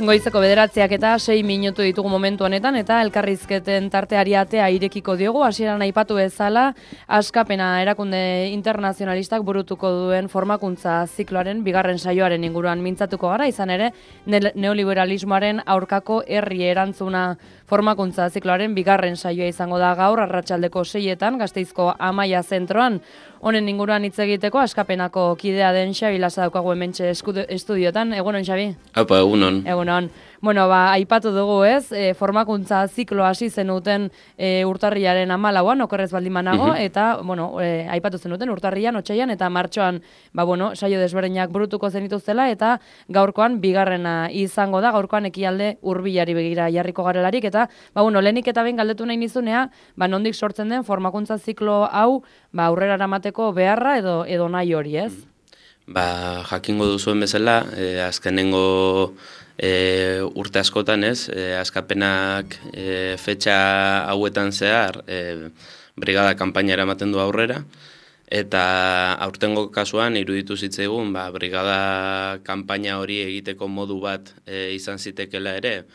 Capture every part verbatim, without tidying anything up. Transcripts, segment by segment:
Goizeko bederatziak eta sei minutu ditugu momentu honetan eta elkarrizketen tarteari atea irekiko diogu. Hasieran aipatu bezala, Askapena erakunde internazionalistak burutuko duen formakuntza zikloaren bigarren saioaren inguruan mintzatuko gara, izan ere neoliberalismoaren aurkako herri erantzuna formakuntza zikloaren bigarren saioa izango da gaur arratsaldeko seietan Gasteizko Amaia zentroan. Honen inguruan hitz egiteko Askapenako kidea den Xabi Lasa daukagu hementxe estudiotan. Egunon, Xabi? Apa, egunon. Egunon. Bueno, ba, aipatu dugu ez, e, formakuntza ziklo hasi zenuten e, urtarriaren hamalauan, okerrez baldin manago, Mhm. eta, bueno, e, aipatu zenuten urtarrian, otsaian eta martxoan, ba, bueno, saio desberdinak burutuko zenituztela, eta gaurkoan bigarrena izango da, gaurkoan ekialde hurbilari begira jarriko garelarik, eta, ba, bueno, lehenik eta behin galdetu nahi nizunea, ba, nondik sortzen den formakuntza ziklo hau, ba, aurrera eramateko beharra edo, edo nahi hori, ez? Ba, jakingo duzuen bezala, eh, azkenengo e, urte askotan ez, e, Askapenak e, fetxa hauetan zehar e, brigada kanpaina eramaten du aurrera, eta aurtengo kasuan iruditu zitzaigun, ba, brigada kanpaina hori egiteko modu bat e, izan zitekela ere,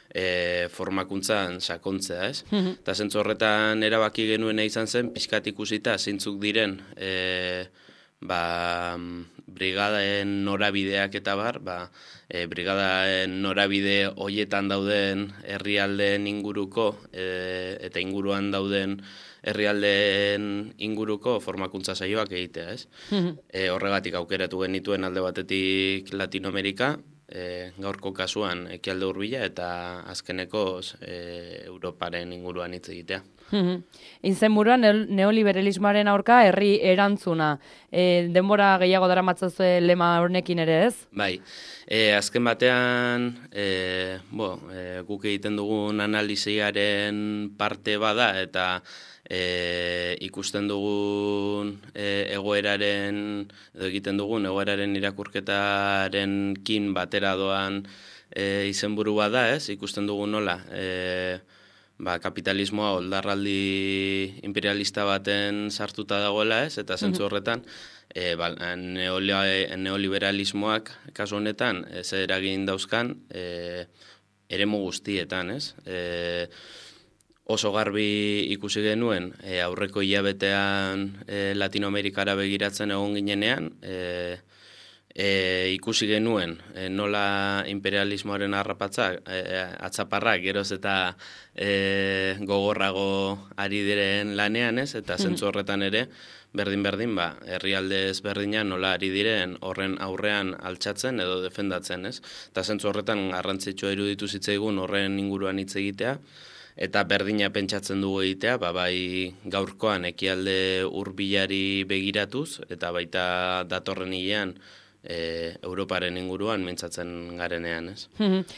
e, formakuntzan sakontzea, ez? Eta zentzu horretan erabaki genuena izan zen, pixkat ikusita zeintzuk diren e, ba, brigadaen norabideak eta bar, ba, e, brigadaen norabide hoietan dauden herrialdeen inguruko e, eta inguruan dauden herrialdeen inguruko formakuntza saioak egitea, ez? e, horregatik aukeratu genituen alde batetik Latinoamerika, e, gaurko kasuan ekialde hurbila eta azkenekoz e, Europaren inguruan hitz egitea. Izenburuan neoliberalismoaren aurka herri erantzuna. E, denbora gehiago daramatzazue lema honekin ere, ez? Bai, e, azken batean e, bo, e, guk egiten dugun analiziaren parte bada eta e, ikusten dugun e, egoeraren, edo egiten dugun egoeraren irakurketaren kin batera doan e, izenburu bada, ez? Ikusten dugun nola, e, ba, kapitalismoa oldarraldi imperialista baten sartuta dagoela, ez? Eta zentzu horretan, e, ba, neoliberalismoak kasu honetan ez eragin dauzkan e, eremu guztietan, ez? E, oso garbi ikusi genuen e, aurreko hilabetean e, Latinoamerikara begiratzen egon ginenean, e, E, ikusi genuen e, nola imperialismoaren harrapatzak, e, atzaparrak geroz eta e, gogorrago ari diren lanean, ez? Eta zentzu horretan ere, berdin-berdin, ba, herrialde ezberdinak nola ari diren horren aurrean altxatzen edo defendatzen, ez? Eta zentzu horretan garrantzitsua iruditu zitzaigun horren inguruan hitz egitea, eta berdina pentsatzen dugu egitea, ba, bai gaurkoan ekialde hurbilari begiratuz, eta baita datorren hilean, E, Europaren inguruan mintzatzen garenean, ez?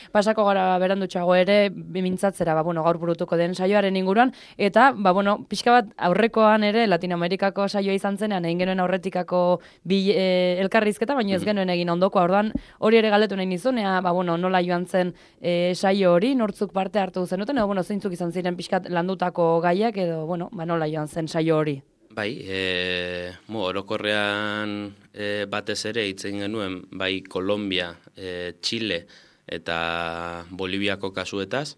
Pasako gara berandutxago ere mintzatzera, ba, bueno, gaur burutuko den saioaren inguruan, eta, ba, bueno, pixka bat aurrekoan ere Latinoamerikako saioa izan zenean, egin genuen aurretikako bi, e, elkarrizketa, baina ez genuen egin ondokoa, orduan hori ere galdetu nahi nizunea, ba, bueno, nola joan zen e, saio hori, nortzuk parte hartu zenuten, edo, bueno, zeintzuk izan ziren pixkat landutako gaiak, edo, bueno, ba, nola joan zen saio hori. Bai, e, mo, orokorrean e, batez ere hitzen genuen, bai Kolombia, e, Chile eta Boliviako kasuetaz.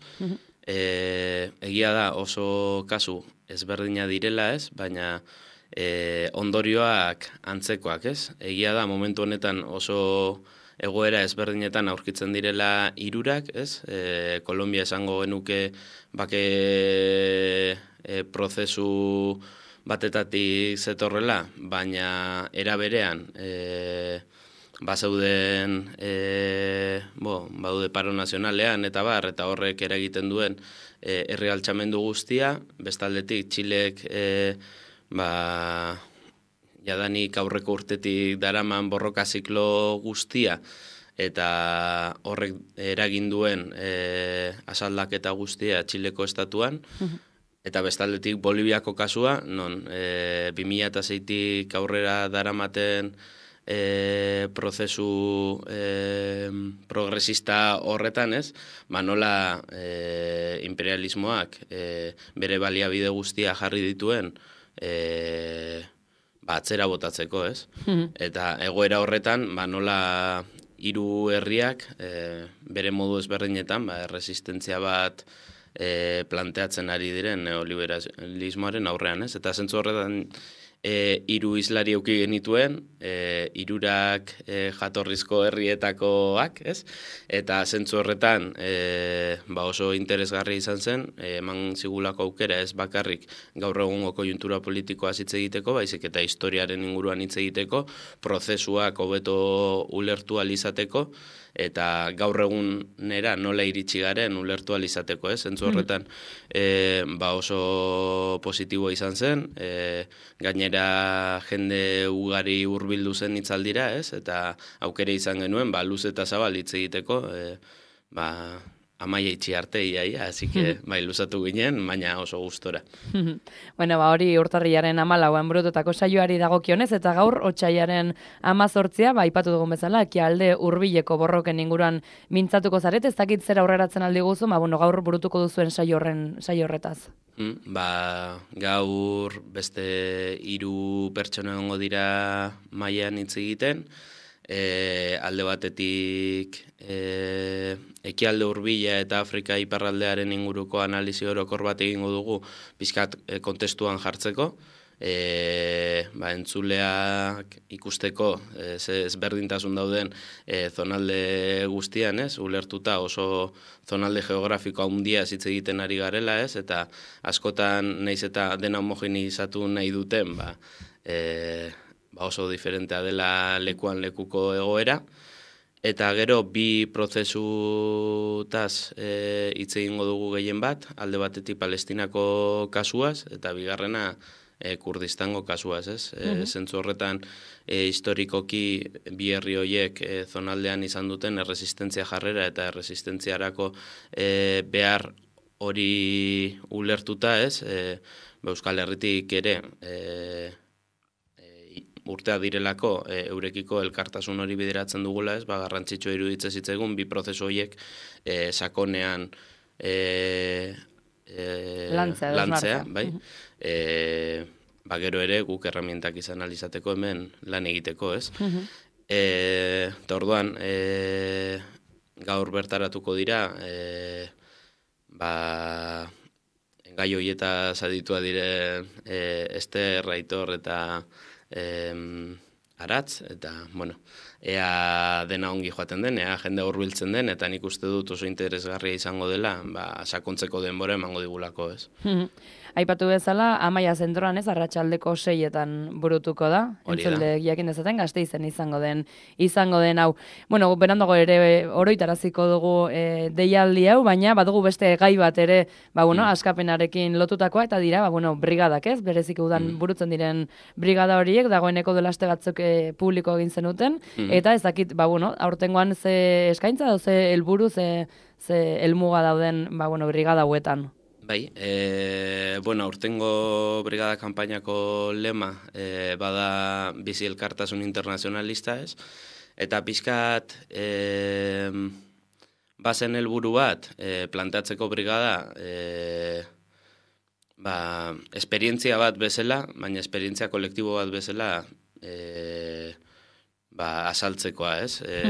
e, egia da oso kasu ezberdina direla, ez? Baina e, ondorioak antzekoak, ez? Egia da momentu honetan oso egoera ezberdinetan aurkitzen direla hirurak, ez? E, Kolombia esango genuke bake e, prozesu batetatik zetorrela, baina era berean e, bazeuden e, bo, baude paro nazionalean eta bar, eta horrek eragiten duen e, herri altxamendu guztia, bestaldetik Txilek e, ba, jadanik aurreko urtetik daraman borroka ziklo guztia, eta horrek eragin duen e, asaldaketa guztia Txileko estatuan, eta bestaldetik Boliviako kasua, non e, bi mila seitik aurrera daramaten e, prozesu e, progresista horretan, ez? Ba, nola e, imperialismoak e, bere baliabide guztia jarri dituen e, ba, atzera botatzeko, ez? Eta egoera horretan, ba, nola hiru herriak e, bere modu ezberdinetan ba, erresistentzia bat e, planteatzen ari diren neoliberalismoaren aurrean, ez? Eta zentzu horretan E, hiru islari eduki genituen, e, hirurak e, jatorrizko herrietakoak, ez? Eta zentzu horretan e, ba oso interesgarri izan zen, e, eman zigulako aukera ez bakarrik gaur egungo koiuntura politikoa hitz egiteko, baizik eta historiaren inguruan hitz egiteko, prozesuak hobeto ulertu ahal izateko, eta gaur egunera nola iritsi garen ulertu ahal izateko, ez? Zentzu horretan e, ba oso positiboa izan zen, e, gainera jende ugari hurbildu zen hitzaldira, ez? Eta aukera izan genuen, ba luz eta zabal hitz egiteko, e, ba amaia itxi arte iaia, así que bai luzatu ginen, baina oso gustora. Bueno, ba hori urtarrilaren hamalauan burututako saioari dagokionez, eta gaur otsailaren hamazortzia, ba aipatu dugun bezala, ekialde hurbileko borroken inguruan mintzatuko zaret, ez dakit zer aurreratzen aldi guzu, ba bueno, gaur burutuko duzuen saio horren saio horretaz. Hmm, ba gaur beste hiru pertsona egongo dira mailan hitz egiten. E, alde batetik e, ekialde hurbila eta Afrika iparraldearen inguruko analizi orokor bat egingo dugu pizkat e, kontestuan jartzeko, e, ba, entzuleak ikusteko e, ze ezberdintasun dauden e, zonalde guztian, ez? Ulertuta oso zonalde geografiko handia hitz egiten ari garela, ez? Eta askotan naiz eta dena homogeneizatu nahi duten, ba, e, ba oso diferentea dela lekuan lekuko egoera, eta gero bi prozesutaz e, hitz egingo dugu gehien bat, alde batetik Palestinako kasuaz, eta bigarrena e, Kurdistango kasuaz, ez? E, zentzu horretan e, historikoki bi herri horiek e, zonaldean izan duten erresistentzia jarrera eta erresistentziarako e, behar hori ulertuta, ez? E, Euskal Herritik ere e, urtea direlako e, eurekiko elkartasun hori bideratzen dugula, ez? Ba garrantzitsua iruditzen zitzaigun bi prozesu horiek e, sakonean e, e, lantzea, lantzea, bai? E, ba gero ere guk erramientak izan alizateko hemen lan egiteko, ez? E, eta orduan e, gaur bertaratuko dira e, ba gai horietaz aditua diren e, Ester, Aitor eta Eh, aratz, eta, bueno, ea dena ongi joaten den, ea jende hurbiltzen den, eta nik uste dut oso interesgarria izango dela, ba, sakontzeko denbora emango digulako, ez. Aipatu bezala, Amaia zentroan ez, arratsaldeko seietan burutuko da, entzule jakin dezaten, Gasteizen izango den, izango den hau. Bueno, berandago ere oroitaraziko dugu e, deialdi hau, baina badugu beste gai bat ere, ba, bueno, mm. askapenarekin lotutakoa, eta dira, ba, bueno, brigadak ez, berezik udan mm. burutzen diren brigada horiek, dagoeneko dela aste batzuk e, publiko egin zenuten, mm. eta ez dakit, ba, bueno, aurtengoan ze eskaintza, da, ze helburu, ze, ze helmuga dauden, ba, bueno, brigada hauetan. Bai, e, bueno, urtengo brigada kanpainako lema e, bada bizi elkartasun internazionalista, ez? Eta pixkat e, bazen helburu bat e, planteatzeko brigada e, ba, esperientzia bat bezala, baina esperientzia kolektibo bat bezala e, ba, asaltzekoa, ez? E,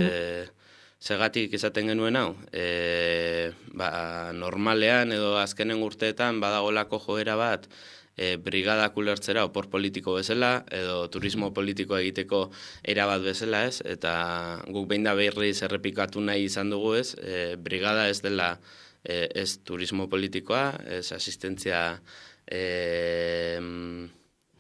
Segatik izaten genuen hau, e, ba, normalean edo azkenen urteetan badagolako joera bat e, brigadak ulertzera opor politiko bezala edo turismo politikoa egiteko erabat bezala, ez? Eta guk behin da berriz errepikatu nahi izan dugu, ez? E, brigada ez dela e, ez turismo politikoa, ez asistentzia e,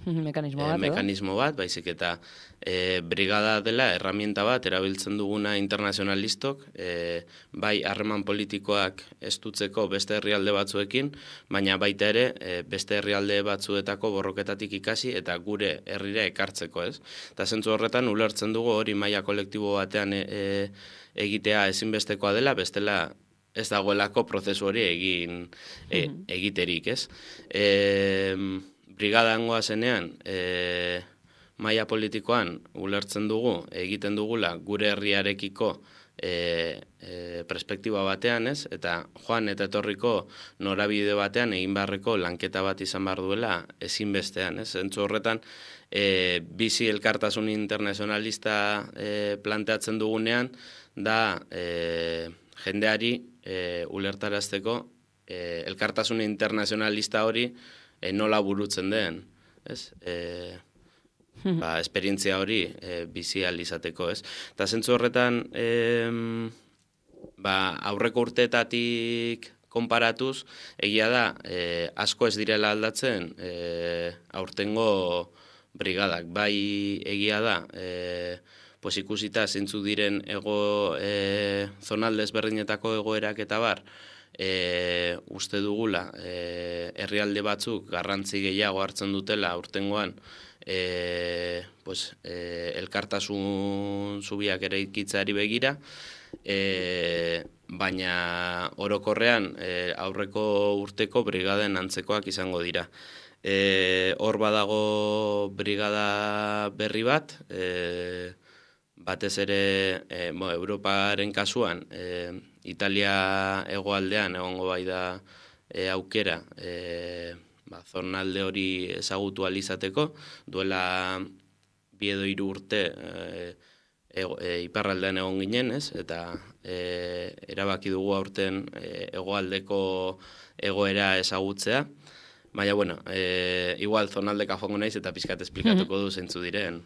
mekanismo bat, e, mekanismo bat, baizik eta e, brigada dela erramienta bat erabiltzen duguna internazionalistok, e, bai harreman politikoak estutzeko beste herrialde batzuekin, baina baita ere e, beste herrialde batzuetako borroketatik ikasi eta gure herrira ekartzeko, ez? Eta zentzu horretan ulertzen dugu hori maila kolektibo batean e, e, egitea ezinbestekoa dela, bestela ez dagoelako prozesu hori egin e, egiterik, ez? E, Brigadangoa zenean, e, maila politikoan ulertzen dugu, egiten dugula gure herriarekiko e, e, perspektiba batean, ez? Eta joan eta etorriko norabide batean egin beharreko lanketa bat izan behar duela ezinbestean, ez? Zentzu horretan, e, bizi elkartasun internazionalista e, planteatzen dugunean, da e, jendeari e, ulertarazteko e, elkartasun internazionalista hori e, nola burutzen den, ez? E, ba, esperientzia hori e, bizi ahal izateko, ez? Eta zentzu horretan, e, ba, aurreko urteetatik konparatuz, egia da, e, asko ez direla aldatzen e, aurtengo brigadak. Bai egia da, e, pues ikusita zeintzu diren ego e, zonalde ezberdinetako egoerak eta bar, e, uste dugula, e, herrialde batzuk garrantzi gehiago hartzen dutela aurtengoan, e, pues, e, elkartasun zubiak ere ikitzeari begira, e, baina orokorrean e, aurreko urteko brigaden antzekoak izango dira. E, hor badago brigada berri bat, e, batez ere e, bo, Europaren kasuan, e, Italia hegoaldean egongo bai da e, aukera, e, ba, zonalde hori ezagutu alizateko, duela bi edo hiru urte e, e, e, iparraldean egon ginen, ez? Eta e, erabaki dugu aurten e, hegoaldeko egoera ezagutzea. Baina, bueno, e, igual zonaldeka joango naiz eta pixkat esplikatuko du zeintzu diren.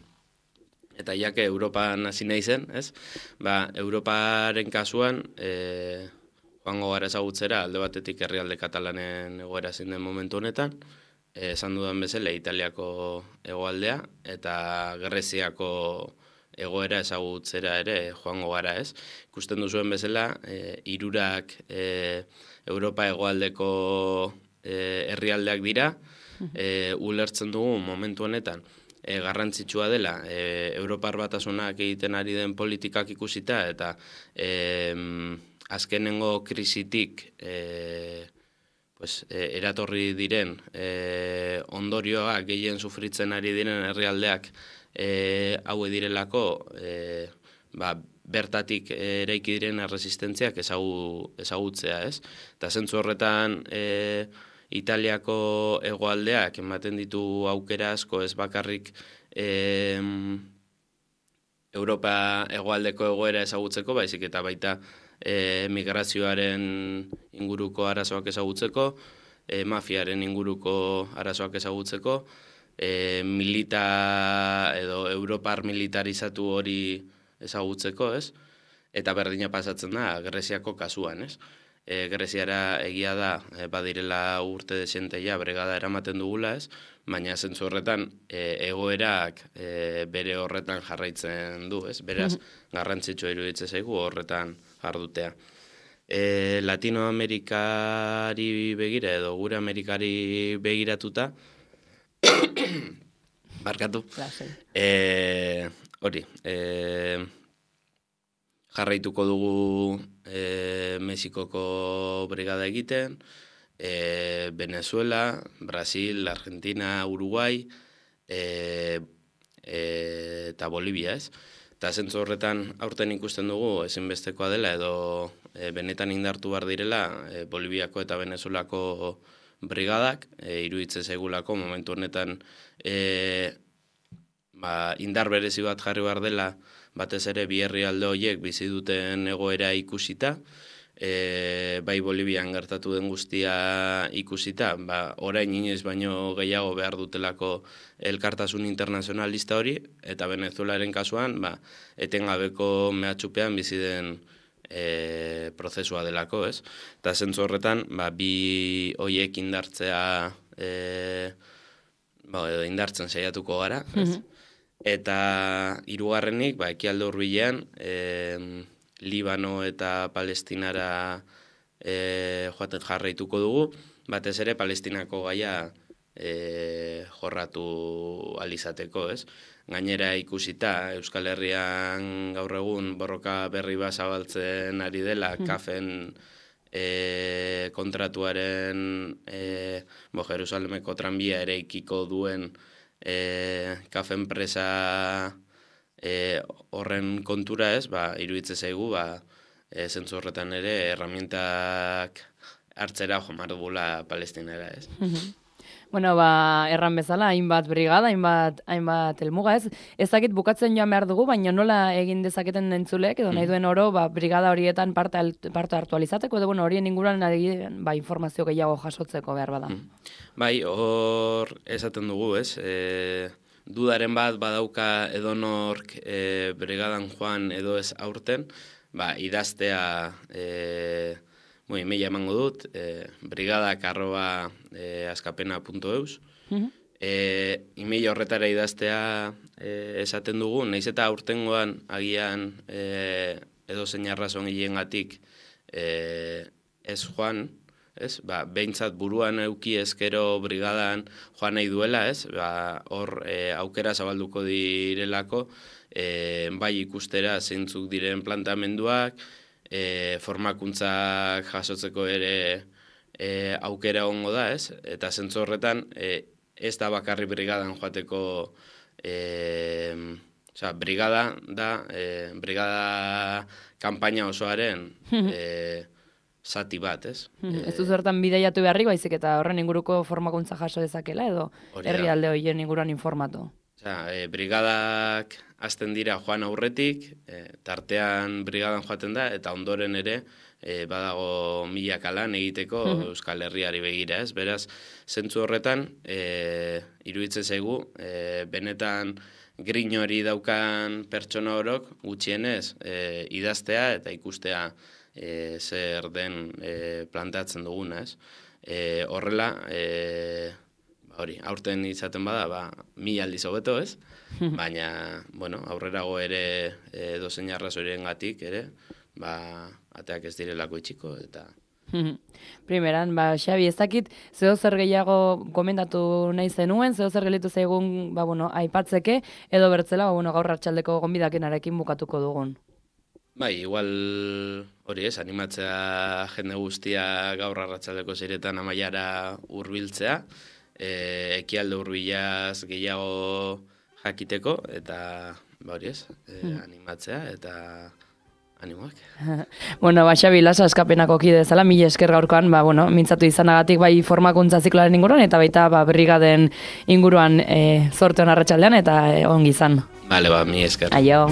Eta jake Europan hasi naizen, ez? Ba, Europaren kasuan, e, joango gara ezagutzera, alde batetik herrialde katalanen egoera zein den momentu honetan, e, esan dudan bezala Italiako hegoaldea eta Greziako egoera ezagutzera ere joango gara, ez? Ikusten duzuen bezala, e, hirurak e, Europa hegoaldeko E, herrialdeak dira, e, ulertzen dugu momentu honetan e, garrantzitsua dela e, Europar Batasunak egiten ari den politikak ikusita eta e, azkenengo krisitik e, pues, e, eratorri diren e, ondorioa gehien sufritzen ari diren herrialdeak e, haue direlako e, ba, bertatik eraiki diren erresistentziak ezagu, ezagutzea, ez? Eta zentzu horretan e, Italiako hegoaldeak ematen ditu aukera asko, ez bakarrik e, Europa hegoaldeko egoera ezagutzeko, baizik eta baita e, migrazioaren inguruko arazoak ezagutzeko, e, mafiaren inguruko arazoak ezagutzeko, e, milita edo Europar militarizatu hori ezagutzeko, ez? Eta berdina pasatzen da Greziako kasuan, ez? E, Greziara egia da, e, badirela urte desenteia bregada eramaten dugula, ez? Baina zentzu horretan e, egoerak e, bere horretan jarraitzen du, ez? Beraz, garrantzitsua iruditzen zaigu horretan jardutea. E, Latinoamerikari begira edo gure Amerikari begiratuta, barkatu, e, hori, e, jarraituko dugu e, Mexikoko brigada egiten, e, Venezuela, Brasil, Argentina, Uruguay e, e, eta Bolivia, ez? Eta zentzu horretan aurten ikusten dugu ezinbestekoa dela edo e, benetan indartu behar direla e, Boliviako eta Venezuelako brigadak, e, iruditzen zaigulako momentu honetan e, ba, indar berezi bat jarri behar dela batez ere bi herrialde horiek bizi duten egoera ikusita, e, bai Bolivian gertatu den guztia ikusita, ba, orain inoiz baino gehiago behar dutelako elkartasun internazionalista hori, eta Venezuelaren kasuan, ba, etengabeko mehatxupean bizi den e, prozesua delako, ez? Eta zentzu horretan, ba, bi horiek indartzea, e, ba, edo indartzen saiatuko gara, ez? Mm-hmm. Eta hirugarrenik, ba, ekialde hurbilean, e, Libano eta Palestinara e, joaten jarraituko dugu, batez ere Palestinako gaia e, jorratu alizateko, ez? Gainera ikusita, Euskal Herrian gaur egun borroka berri bat zabaltzen ari dela, mm. kafen e, kontratuaren e, bo, Jerusalemeko tranbia ere ikiko duen E, kafe enpresa e, horren kontura, ez, ba, iruditze zaigu, ba, e, zentzu horretan ere, herramientak hartzera jomar dugula Palestinara, ez. Bueno, ba, erran bezala, hainbat brigada, hainbat, hainbat elmuga ez. Ezakit bukatzen joan behar dugu, baina nola egin dezaketen entzulek, edo nahi duen oro, ba, brigada horietan parte, parte hartu alizateko, edo bueno, horien inguruan ba, informazio gehiago jasotzeko behar bada. Bai, hor esaten dugu, ez? E, dudaren bat badauka edonork e, brigadan joan edo ez aurten, ba, idaztea... E, Moi, emaila emango dut, e, brigadak arroba e, askapena punto eus. Uh-huh. E, email horretara idaztea e, esaten dugu, nahiz eta aurtengoan agian e, edo zein arrazon hilengatik e, ez joan, ez? Ba, behintzat buruan euki ezkero brigadan joan nahi duela, ez? Ba, hor e, aukera zabalduko direlako, e, bai ikustera zeintzuk diren plantamenduak, E, formakuntzak jasotzeko ere e, aukera ongo da, ez? Eta zentzu horretan e, ez da bakarri brigadan joateko e, oza, brigada da, e, brigada kanpaina osoaren e, zati bat, ez? Ez du zertan bideiatu beharrik, baizik eta horren inguruko formakuntza jaso dezakela edo herrialde horien inguruan informatu. Oza, e, brigadak hasten dira joan aurretik, e, tartean brigadan joaten da, eta ondoren ere e, badago milaka lan egiteko Euskal Herriari begira, ez? Beraz, zentzu horretan, e, iruditzen zaigu, e, benetan grin hori daukan pertsona orok gutxienez e, idaztea eta ikustea e, zer den e, planteatzen duguna, ez? E, horrela, e, hori, aurten izaten bada, ba, mila aldiz hobeto, ez? Baina, bueno, aurrerago ere e, dozein arrazoiren gatik, ere, ba, ateak ez direlako itxiko, eta... Primeran, ba, Xabi, ez dakit, zeo zer gehiago komentatu nahi zenuen, zeo zer gelitu zaigun, ba, bueno, aipatzeke, edo bertzela, ba, bueno, gaur hartxaldeko gonbidakenarekin bukatuko dugun. Bai, igual hori ez, animatzea jende guztia gaur arratsaldeko zeiretan amaiara hurbiltzea, E, ekialde hurbilaz gehiago jakiteko, eta ba hori ez, e, animatzea, eta animoak. Bueno, ba, Xabi, Lasa Askapenako kide zela, mila esker gaurkoan, ba, bueno, mintzatu izanagatik bai formakuntza zikloaren inguruan, eta baita ba, brigaden inguruan e, zorte hon arratsaldean eta e, ongi izan. Bale, ba, mila esker. Aio.